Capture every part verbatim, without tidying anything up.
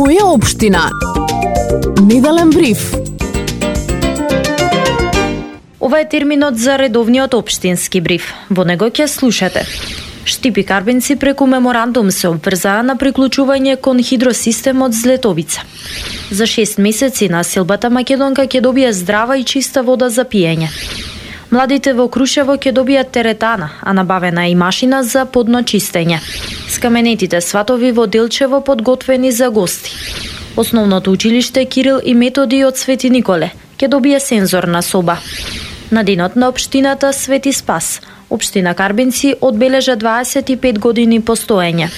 Моја општина. Неделен бриф. Ова е терминот за редовниот општински бриф. Во него ќе слушате: Штип и Карбинци преку меморандум се обврзаа на приклучување кон хидросистемот Злетовица. За шест месеци населбата македонка ќе добие здрава и чиста вода за пиење. Младите во Крушево ќе добијат теретана, а набавена е и машина за подно чистење. Скаменетите сватови во Делчево подготвени за гости. Основното училиште Кирил и Методи од Свети Николе ќе добие сензорна соба. На денот на општината Свети Спас, општина Карбинци одбележа дваесет и пет години постоење.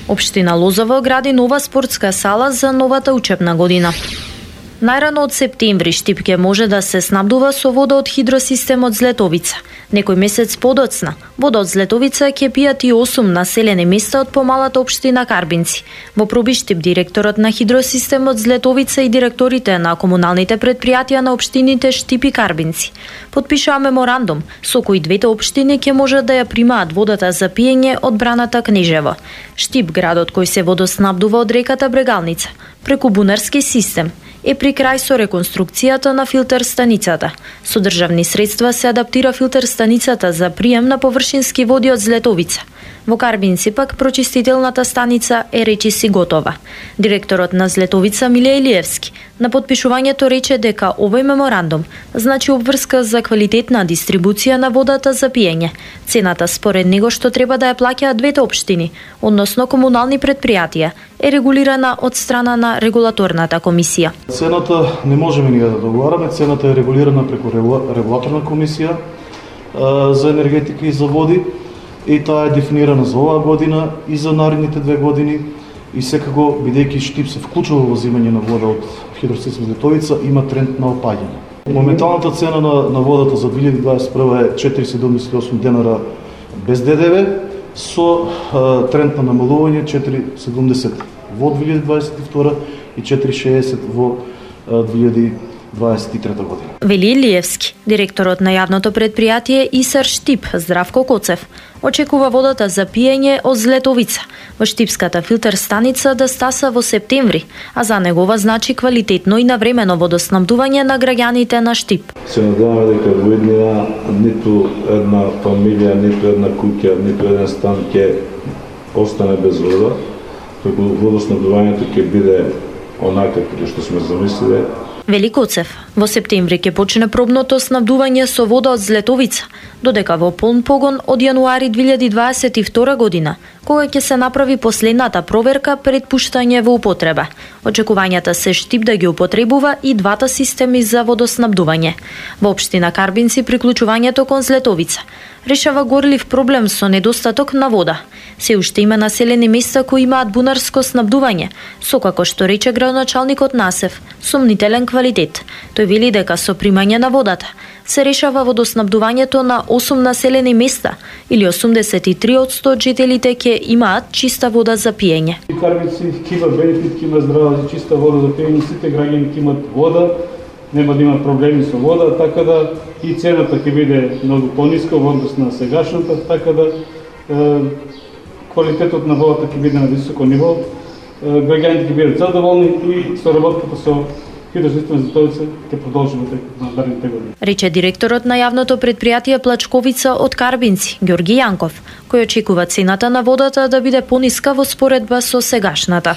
Општина Лозово гради нова спортска сала за новата учебна година. Најрано од септември Штип ќе може да се снабдува со вода од хидросистемот Злетовица. Некој месец подоцна, вода од Злетовица ќе пијат и осум населени места од помалата општина Карбинци. Во проби Штип директорот на хидросистемот Злетовица и директорите на комуналните предпријатија на општините Штип и Карбинци потпишаа меморандум со кој двете општини ќе можат да ја примаат водата за пиење од браната Кнежево. Штип, градот кој се водоснабдува од реката Брегалница преку бунарски систем, е при крај со реконструкцијата на филтер станицата. Со државни средства се адаптира филтер станицата за прием на површински води од Злетовица. Во Карбинци пак прочистителната станица е речиси готова. Директорот на Злетовица Миле Илиевски на потпишувањето рече дека овој меморандум значи обврска за квалитетна дистрибуција на водата за пиење. Цената според него што треба да ја плаќаат двете општини, односно комунални предпријатија, е регулирана од страна на регулаторната комисија. Цената не можеме ние да договараме, цената е регулирана преку регулаторна комисија а, за енергетика и за води, и таа е дефинирана за оваа година и за наредните две години, и секако, бидејќи Штип се вклучува во земање на вода од хидросистем Злетовица, има тренд на опаѓање. Моменталната цена на, на водата за две илјади дваесет и прва е четири седумдесет и осум денара без ДДВ, со а, тренд на намалување четири седумдесет во две илјади дваесет и втора и четири шеесет во а, две илјади дваесет и трета година. Вели Илиевски, директорот на јавното предпријатие ИСАР Штип, Здравко Коцев, очекува водата за пиење од Злетовица во Штипската филтер станица да стаса во септември, а за негова значи квалитетно и навремено водоснабдување на граѓаните на Штип. Се надеваме дека во иднина ниту една фамилија, ниту една куќа, ниту еден стан ќе остане без вода, преку водоснабдувањето ќе биде онака како што сме замислиле. Вели Коцев, во септември ќе почне пробното снабдување со вода од Злетовица, додека во полн погон од јануари две илјади дваесет и втора година, кога ќе се направи последната проверка пред пуштање во употреба. Очекувањата се Штип да ги употребува и двата системи за водоснабдување. Во општина Карбинци приклучувањето кон Злетовица решава горлив проблем со недостаток на вода. Се уште има населени места кои имаат бунарско снабдување, со како што рече градоначалникот Насев, сомнителен квалитет. Тој вели дека со примање на водата се решава водоснабдувањето на осум населени места, или осумдесет и три одсто од жителите ќе имаат чиста вода за пиење. Карбинци ќе има бенефит, ќе има здрава и чиста вода за пиење, сите граѓани ќе имат вода, нема да има проблеми со вода, така да и цената ќе биде многу пониска во однос на сегашната, така да е, квалитетот на водата ќе биде на високо ниво, е, граѓаните ќе бидат задоволни и соработката со хидросистемот Злетовица ќе продолжи во наредните години. Рече директорот на јавното предпријатие Плачковица од Карбинци, Ѓорги Јанков, кој очекува цената на водата да биде пониска во споредба со сегашната.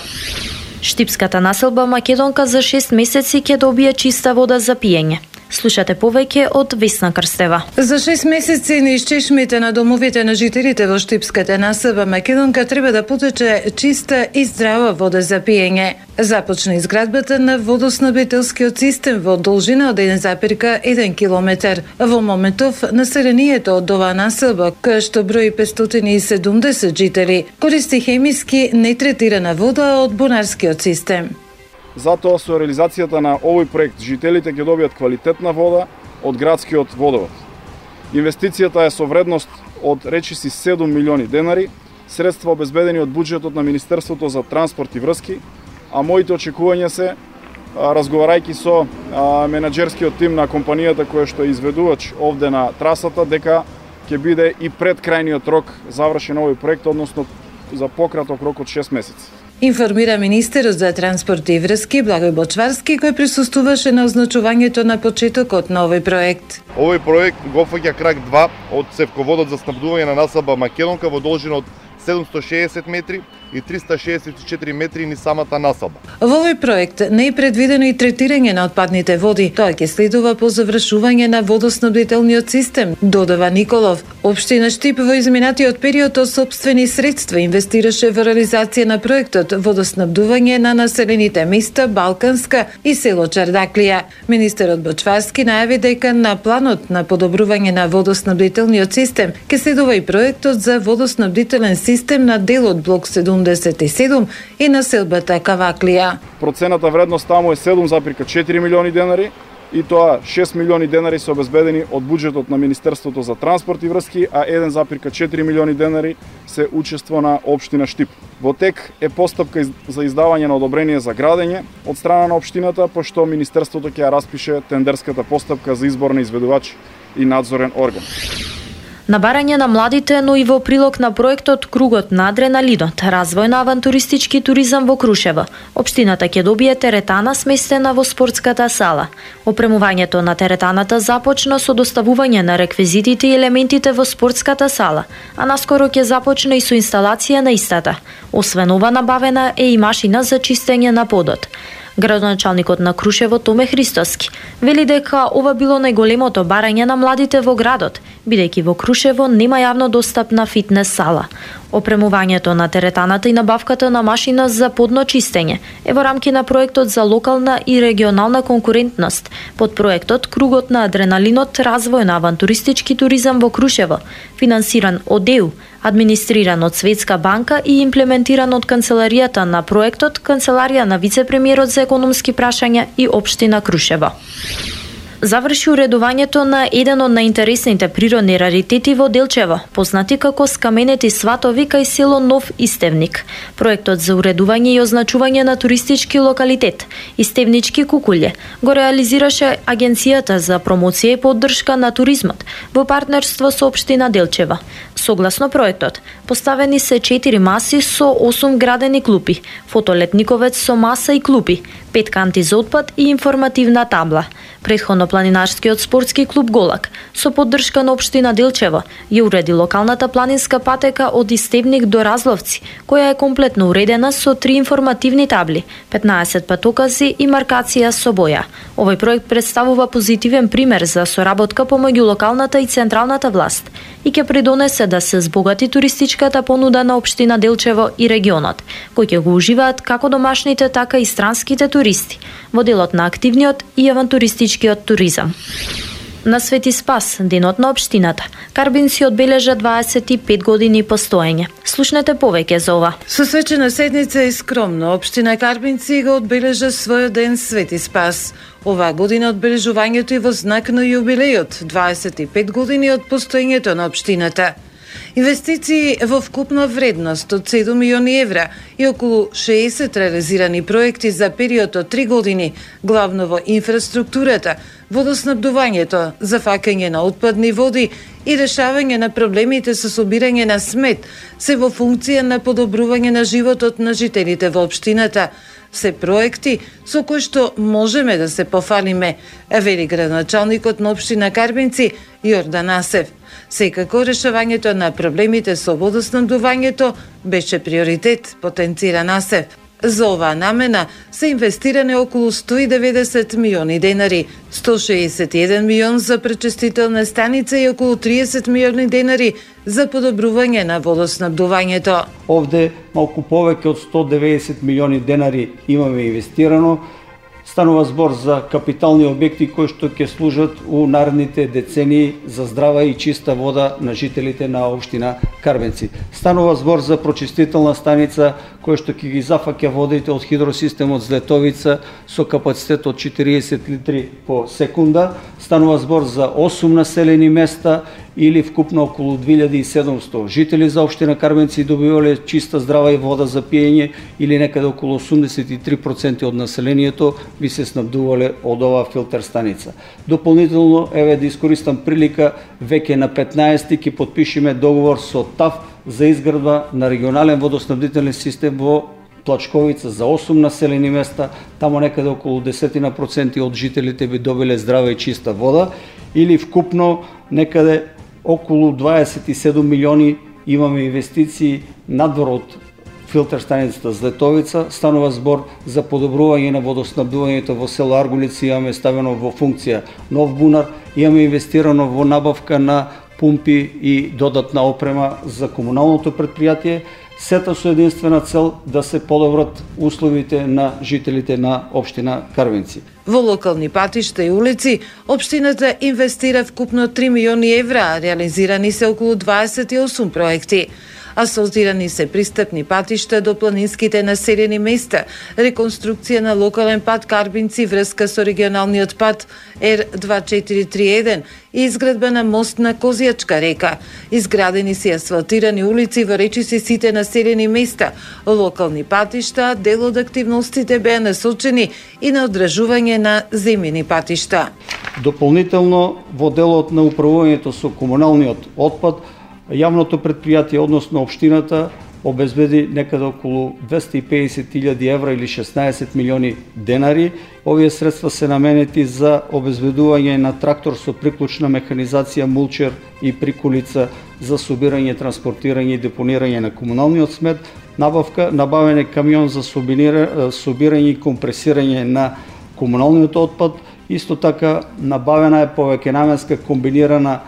Штипската населба македонка за шест месеци ќе добие чиста вода за пиење. Слушате повеќе од Весна Крстева. За шест месеци низ чешмите на домовите на жителите во Штипската населба македонка треба да потече чиста и здрава вода за пиење. Започна изградбата на водоснабдителскиот систем во должина од еден запирка еден километар. Во моментов населението од оваа населба, која што брои петстотини и седумдесет жители, користи хемиски нетретирана вода од бунарскиот систем. Затоа со реализацијата на овој проект жителите ќе добијат квалитетна вода од градскиот водовод. Инвестицијата е со вредност од речиси седум милиони денари, средства обезбедени од буџетот на Министерството за транспорт и врски, а моите очекувања се, разговарајќи со менаџерскиот тим на компанијата која што е изведувач овде на трасата, дека ќе биде и пред крајниот рок завршен овој проект, односно за пократок рок од шест месеци. Информира министерот за транспорт и врски Благој Бочварски, кој присуствуваше на означувањето на почетокот на овој проект. Овој проект го фаќа крак два од цевководот за снабдување на насаба Македонка во должина од седумсто шеесет метри и триста шеесет и четири метри ни самата насаба. Во овој проект не е предвидено и третирање на отпадните води. Тоа ќе следува по завршување на водоснабдителниот систем, додава Николов. Општина Штип во изминатиот период од сопствени средства инвестираше во реализација на проектот водоснабдување на населените места Балканска и село Чардаклија. Министерот Бочварски најави дека на планот на подобрување на водоснабдителниот систем ќе следува и проектот за водоснабдителен систем на делот блок седумдесет и седум и населбата Каваклија. Процената вредност таму е седум зарез четири милиони денари и тоа шест милиони денари се обезбедени од буџетот на Министерството за транспорт и врски, а еден зарез четири милиони денари се учество на општина Штип. Во тек е постапка за издавање на одобрение за градење од страна на општината, пошто Министерството ќе ја распише тендерската постапка за избор на изведувач и надзорен орган. На барање на младите, но и во прилог на проектот Кругот на адреналинот, развој на авантуристички туризам во Крушево, општината ќе добие теретана сместена во спортската сала. Опремувањето на теретаната започна со доставување на реквизитите и елементите во спортската сала, а наскоро ќе започне и со инсталација на истата. Освен ова, набавена е и машина за чистење на подот. Градоначалникот на Крушево Томе Христоски вели дека ова било најголемото барање на младите во градот, бидејќи во Крушево нема јавно достапна фитнес сала. Опремувањето на теретаната и набавката на машина за подно чистење е во рамки на проектот за локална и регионална конкурентност, под проектот Кругот на адреналинот, развој на авантуристички туризам во Крушево, финансиран од Е У, администриран од Светска банка и имплементиран од канцеларијата на проектот, канцеларија на вице-премиерот за економски прашања и општина Крушево. Заврши уредувањето на еден од најинтересните природни раритети во Делчево, познати како скаменети сватови кај село Нов Истевник. Проектот за уредување и означување на туристички локалитет Истевнички кукулје го реализираше Агенцијата за промоција и поддршка на туризмот во партнерство со општина Делчево. Согласно проектот, поставени се четири маси со осум градени клупи, фотолетниковец со маса и клупи, пет канти за отпад и информативна табла. Претходно планинарскиот спортски клуб Голак, со поддршка на општина Делчево, ја уреди локалната планинска патека од Истевник до Разловци, која е комплетно уредена со три информативни табли, петнаесет патокази и маркација со боја. Овој проект представува позитивен пример за соработка помеѓу локалната и централната власт и ќе придонесе да се збогати туристичката понуда на општина Делчево и регионот, кои ќе го уживаат како домашните, така и странските туристи во делот на активниот и авантуристичкиот туризам. На Свети Спас, денот на општината, Карбинци одбележа дваесет и пет години постоење. Слушнете повеќе за ова. Со свечена седница и скромно, општина Карбинци го одбележа својот ден Свети Спас. Оваа година одбележувањето е во знак на јубилејот, дваесет и пет години од постоењето на општината. Инвестиции во вкупна вредност од седум милиони евра и околу шеесет реализирани проекти за период од три години, главно во инфраструктурата, водоснабдувањето, зафакање на отпадни води и решавање на проблемите со собирање на смет, се во функција на подобрување на животот на жителите во општината. Се проекти со кои што можеме да се пофалиме, вели градоначалникот на општина Карбинци Јордан Асев. Секако решавањето на проблемите со водоснабдувањето беше приоритет, потенцира Асев. За оваа намена се инвестиране околу сто и деветдесет милиони денари, сто шеесет и еден милион за пречистителна станица и околу триесет милиони денари за подобрување на водоснабдувањето. Овде малку повеќе од сто деветдесет милиони денари имаме инвестирано. Станува збор за капитални објекти кои што ќе служат у наредните децении за здрава и чиста вода на жителите на општина Карбинци. Станува збор за прочистителна станица која што ќе ги зафаќа водите од хидросистемот Злетовица со капацитет од четириесет литри по секунда. Станува збор за осум населени места или вкупно околу две илјади и седумсто жители за општина Карбинци добивале чиста здрава и вода за пиење или некаде околу осумдесет и три проценти од населението би се снабдувале од оваа филтер станица. Дополнително, еве да искористам прилика, веќе на петнаесети ќе потпишеме договор со ТАФ за изградба на регионален водоснабдителен систем во Плачковица за осум населени места, тамо некаде околу десет проценти од жителите би добиле здрава и чиста вода, или вкупно некаде околу дваесет и седум милиони имаме инвестиции надвор од филтер станицата Злетовица. Станува збор за подобрување на водоснабдувањето во село Аргулица, имаме ставено во функција нов бунар, имаме инвестирано во набавка на пумпи и додатна опрема за комуналното предпријатие, сета со единствена цел да се подобрат условите на жителите на општина Карвинци. Во локални патишта и улици, општината инвестира вкупно три милиони евра, реализирани се околу дваесет и осум проекти. Асфалтирани се пристапни патишта до планинските населени места, реконструкција на локален пат Карбинци врска со регионалниот пат Р две четири три еден и изградба на мост на Козијачка река. Изградени се асфалтирани улици во речиси сите населени места, локални патишта, дел од активностите беа насочени и на одржување на земјени патишта. Дополнително во делот на управувањето со комуналниот отпад, јавното предпријатие, односно општината, обезбеди некаде околу двесте и педесет илјади евра или шеснаесет милиони денари. Овие средства се наменети за обезбедување на трактор со приклучна механизација, мулчер и приколица за собирање, транспортирање и депонирање на комуналниот смет, набавка, набавене камион за собирање и компресирање на комуналниот отпад, исто така набавена е повеќенаменска комбинирана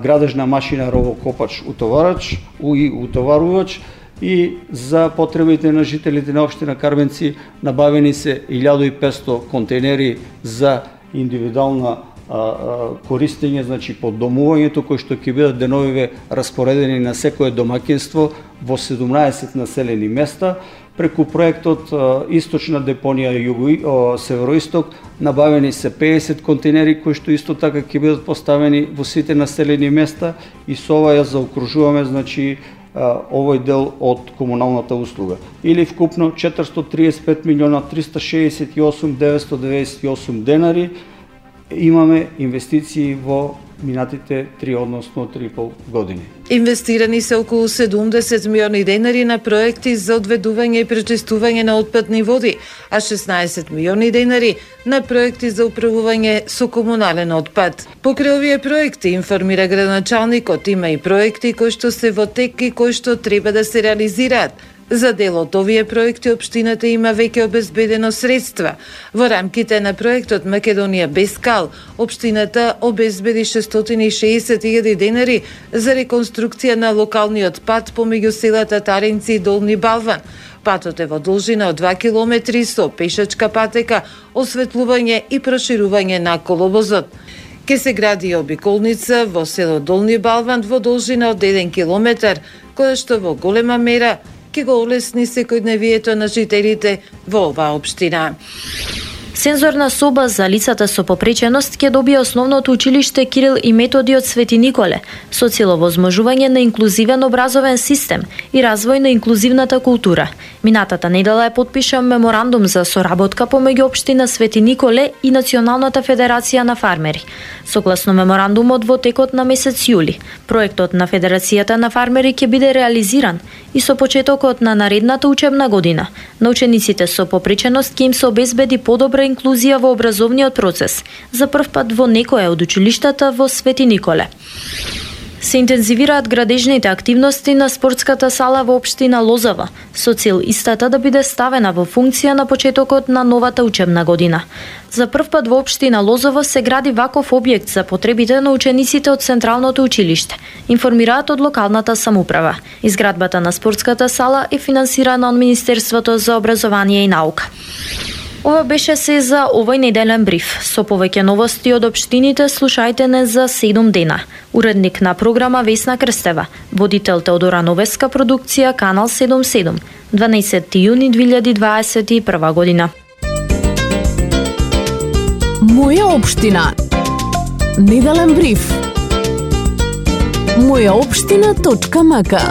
градежна машина ровокопач утоварач и утоварувач, и за потребите на жителите на општина Карвенци набавени се илјада и петсто контейнери за индивидуална а, а, користење, значи под домувањето, кои што ќе бидат деновиве распоредени на секое домаќинство во седумнаесет населени места. Преку проектот Источна депонија југо североисток набавени се педесет контейнери кои што исто така ќе бидат поставени во сите населени места, и со ова ја заокружуваме, значи, овој дел од комуналната услуга. Или вкупно четиристотини триесет и пет милиона триста шеесет и осум деветстотини деведесет и осум денари имаме инвестиции во минатите три, односно три и пол години. Инвестирани се околу седумдесет милиони денари на проекти за одведување и пречистување на отпадни води, а шеснаесет милиони денари на проекти за управување со комунален отпад. Покрај овие проекти, информира градоначалникот, има и проекти кои што се во тек и кои што треба да се реализираат. За дел од овие проекти општината има веќе обезбедено средства. Во рамките на проектот Македонија без кал, општината обезбеди шестстотини и шеесет илјади денари за реконструкција на локалниот пат помеѓу селата Таринци и Долни Балван. Патот е во должина од два километри со пешачка патека, осветлување и проширување на коловозот. Ке се гради и обиколница во село Долни Балван во должина од еден километар, која што во голема мера ќе го олесни секојдневието на жителите во оваа општина. Сензорна соба за лицата со попреченост ќе добие основното училиште Кирил и Методи од Свети Николе, со цел овозможување на инклузивен образовен систем и развој на инклузивната култура. Минатата недела е подпишан меморандум за соработка помеѓу општина Свети Николе и Националната федерација на фармери. Согласно меморандумот во текот на месец јули, проектот на Федерацијата на фармери ќе биде реализиран и со почетокот на наредната учебна година на учениците со попреченост ќе им се обезбеди подобра инклузија во образовниот процес, за прв пат во некое од училиштата во Свети Николе. Се интензивираат градежните активности на спортската сала во општина Лозава, со цел истата да биде ставена во функција на почетокот на новата учебна година. За прв пат во општина Лозова се гради ваков објект за потребите на учениците од Централното училиште, информираат од локалната самоуправа. Изградбата на спортската сала е финансирана од Министерството за образование и наука. Ова беше се за овој неделен бриф. Со повеќе новости од општините слушајте не за седум дена. Уредник на програма Весна Крстева, водител Теодора Новеска, продукција Канал седумдесет и седум, дванаесети јуни две илјади дваесет и прва година. Моја општина. Неделен бриф. моја општина точка мака